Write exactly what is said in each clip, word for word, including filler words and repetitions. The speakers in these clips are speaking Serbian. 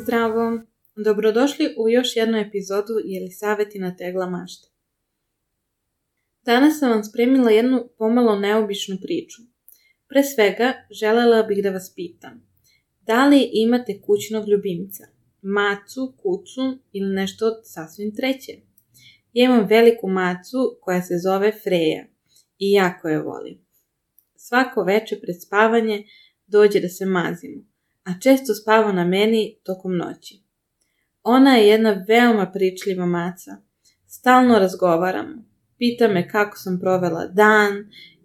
Zdravo! Dobrodošli u još jednu epizodu Jelisavetina tegla mašta. Danas sam vam spremila jednu pomalo neobičnu priču. Pre svega, želela bih da vas pitam, da li imate kućnog ljubimca, macu, kucu ili nešto sasvim treće? Ja imam veliku macu koja se zove Freja i jako je volim. Svako veče pred spavanje dođe da se mazimo, a često spava na meni tokom noći. Ona je jedna veoma pričljiva maca. Stalno razgovaramo. Pita me kako sam provela dan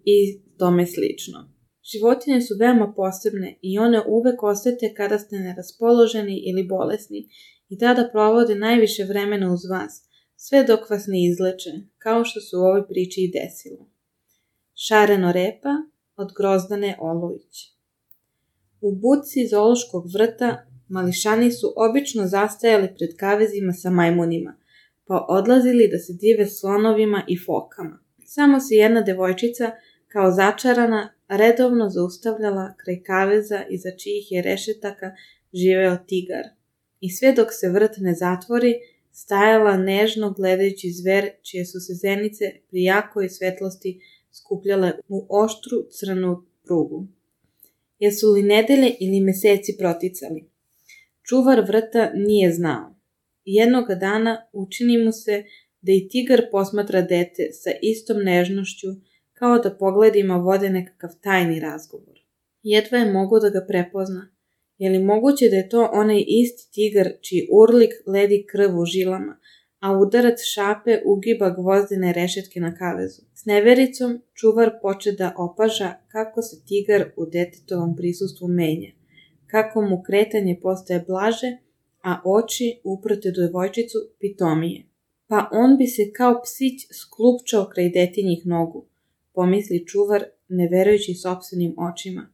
i tome slično. Životinje su veoma posebne i one uvek osete kada ste neraspoloženi ili bolesni i tada provode najviše vremena uz vas, sve dok vas ne izleče, kao što se u ovoj priči i desilo. Šareno repa od Grozdane Olović. U buci zoološkog vrta mališani su obično zastajali pred kavezima sa majmunima, pa odlazili da se dive slonovima i fokama. Samo se jedna devojčica, kao začarana, redovno zaustavljala kraj kaveza iza čijih je rešetaka živeo tigar. I sve dok se vrt ne zatvori, stajala nežno gledajući zver čije su se zenice pri jakoj svetlosti skupljale u oštru crnu prugu. Jesu li nedelje ili meseci proticali? Čuvar vrta nije znao. Jednoga dana učini mu se da i tigar posmatra dete sa istom nežnošću kao da pogledima vode nekakav tajni razgovor. Jedva je mogao da ga prepozna. Je li moguće da je to onaj isti tigar čiji urlik ledi krv u žilama, a udarac šape ugiba gvozdene rešetke na kavezu? S nevericom čuvar poče da opaža kako se tigar u detetovom prisustvu menja, kako mu kretanje postaje blaže, a oči uprte do devojčicu pitomije. Pa on bi se kao psić sklupčao kraj detinjih nogu, pomisli čuvar ne verujući sopstvenim očima.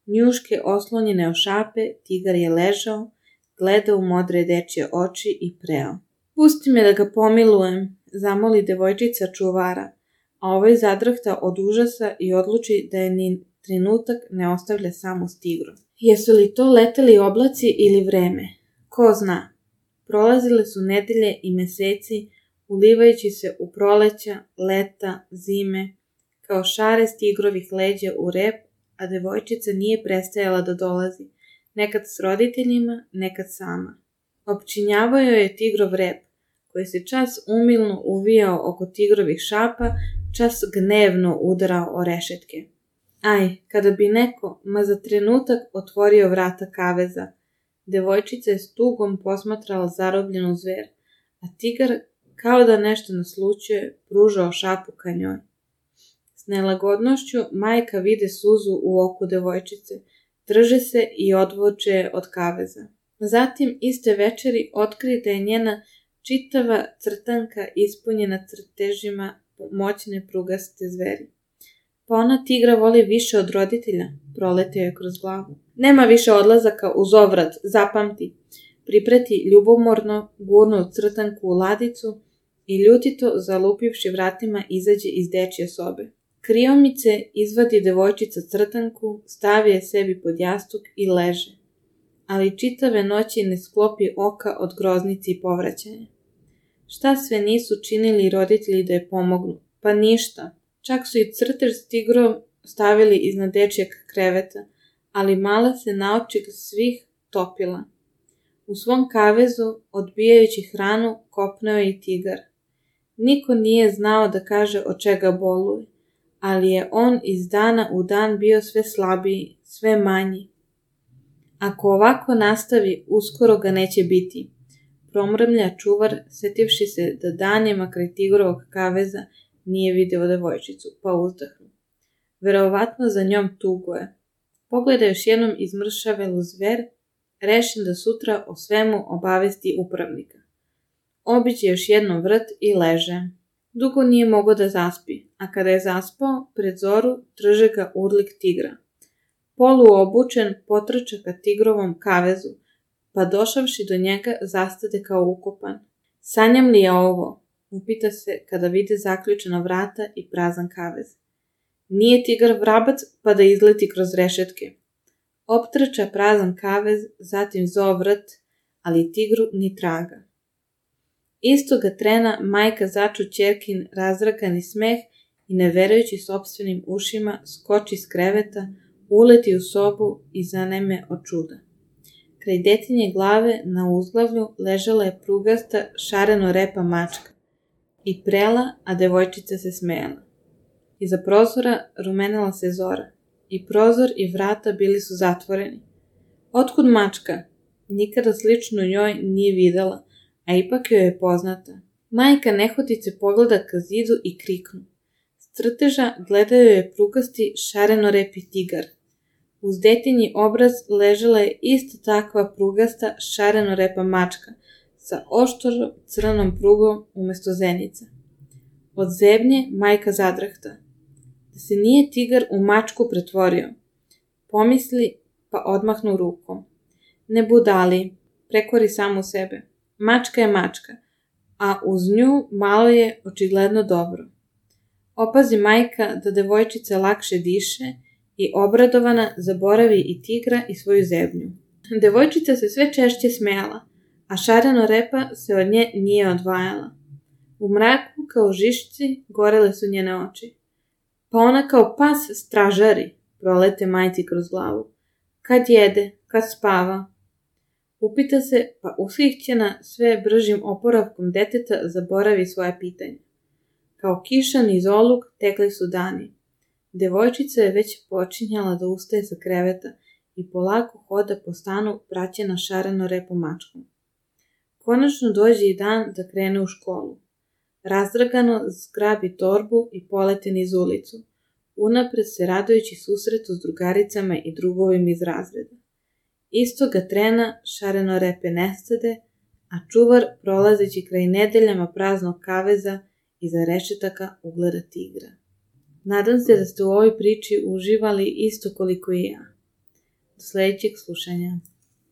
Njuške oslonjene o šape, tigar je ležao, gledao u modre dečje oči i preo. Pusti me da ga pomilujem, zamoli devojčica čuvara, a ovaj zadrhta od užasa i odluči da je ni trenutak ne ostavlja samu s tigrom. Jesu li to leteli oblaci ili vreme? Ko zna? Prolazile su nedelje i meseci, ulivajući se u proleća, leta, zime, kao šare s tigrovih leđa u rep, a devojčica nije prestajala da dolazi, nekad s roditeljima, nekad sama. Opčinjavao joj je tigrov rep, koji se čas umilno uvijao oko tigrovih šapa, čas gnevno udarao o rešetke. Aj, kada bi neko, ma za trenutak, otvorio vrata kaveza, devojčica je s tugom posmatrala zarobljenu zver, a tigar, kao da nešto naslućuje, pružao šapu ka njoj. S nelagodnošću majka vide suzu u oku devojčice, drže se i odvuče je od kaveza. Zatim, iste večeri, otkrije da je njena čitava crtanka ispunjena crtežima moćne prugaste zveri. Pa ona tigra voli više od roditelja, proletio je kroz glavu. Nema više odlazaka uz ovrat, zapamti. Pripreti ljubomorno, gurnu crtanku u ladicu i ljutito, zalupivši vratima, izađe iz dečje sobe. Kriomice izvadi devojčica crtanku, stavi je sebi pod jastuk i leže. Ali čitave noći ne sklopi oka od groznici i povraćanja. Šta sve nisu činili roditelji da je pomognu? Pa ništa. Čak su i crtež s tigrom stavili iznad dečjeg kreveta, ali mala se naočig svih topila. U svom kavezu, odbijajući hranu, kopneo je i tigar. Niko nije znao da kaže od čega boluje, ali je on iz dana u dan bio sve slabiji, sve manji. Ako ovako nastavi, uskoro ga neće biti, promrmlja čuvar, setivši se da danima kraj tigrovog kaveza nije video devojčicu, pa uzdahnu. Verovatno za njom tuguje. Pogleda još jednom izmršavelu zver, rešen da sutra o svemu obavesti upravnika. Obiđe još jednom vrt i leže. Dugo nije mogao da zaspi, a kada je zaspao, pred zoru trže ga urlik tigra. Poluobučen potrča ka tigrovom kavezu, pa došavši do njega zastade kao ukopan. Sanjam li je ovo? Upita se kada vide zaključena vrata i prazan kavez. Nije tigar vrabac pa da izleti kroz rešetke. Optrča prazan kavez, zatim zov vrt, ali tigru ni traga. Istoga trena majka začu ćerkin razrakani smeh i ne verujući sopstvenim ušima skoči s kreveta, uleti u sobu i zaneme od čuda. Kraj detinje glave na uzglavlju ležala je prugasta šareno repa mačka i prela, a devojčica se smejala. Iza prozora rumenila se zora i prozor i vrata bili su zatvoreni. Otkud mačka? Nikada sličnu njoj nije videla, a ipak joj je poznata. Majka nehotice pogleda ka zidu i kriknu. S crteža gledaju je prugasti šareno repi tigar. Uz detinji obraz ležala je ista takva prugasta šareno repa mačka sa oštro crnom prugom umesto zenica. Od zebnje majka zadrahta. Da se nije tigar u mačku pretvorio. Pomisli pa odmahnu rukom. Ne budali, prekori samu sebe. Mačka je mačka, a uz nju malo je očigledno dobro. Opazi majka da devojčica lakše diše i obradovana zaboravi i tigra i svoju zebnju. Devojčica se sve češće smejala, a šareno repa se od nje nije odvajala. U mraku kao žišci gorele su njene oči. Pa ona kao pas stražari, prolete majci kroz glavu. Kad jede, kad spava. Upita se, pa ushićena sve bržim oporavkom deteta zaboravi svoje pitanje. Kao kiša niz oluk tekli su dani. Devojčica je već počinjala da ustaje sa kreveta i polako hoda po stanu praćena šareno repo mačkom. Konačno dođe i dan da krene u školu. Razdragano zgrabi torbu i polete niz ulicu, unapred se radujući susretu s drugaricama i drugovima iz razreda. Istoga trena šareno repe nestade, a čuvar prolazeći kraj nedeljama praznog kaveza iza rešetaka ugleda tigra. Nadam se da ste u ovoj priči uživali isto koliko i ja. Do sledećeg slušanja.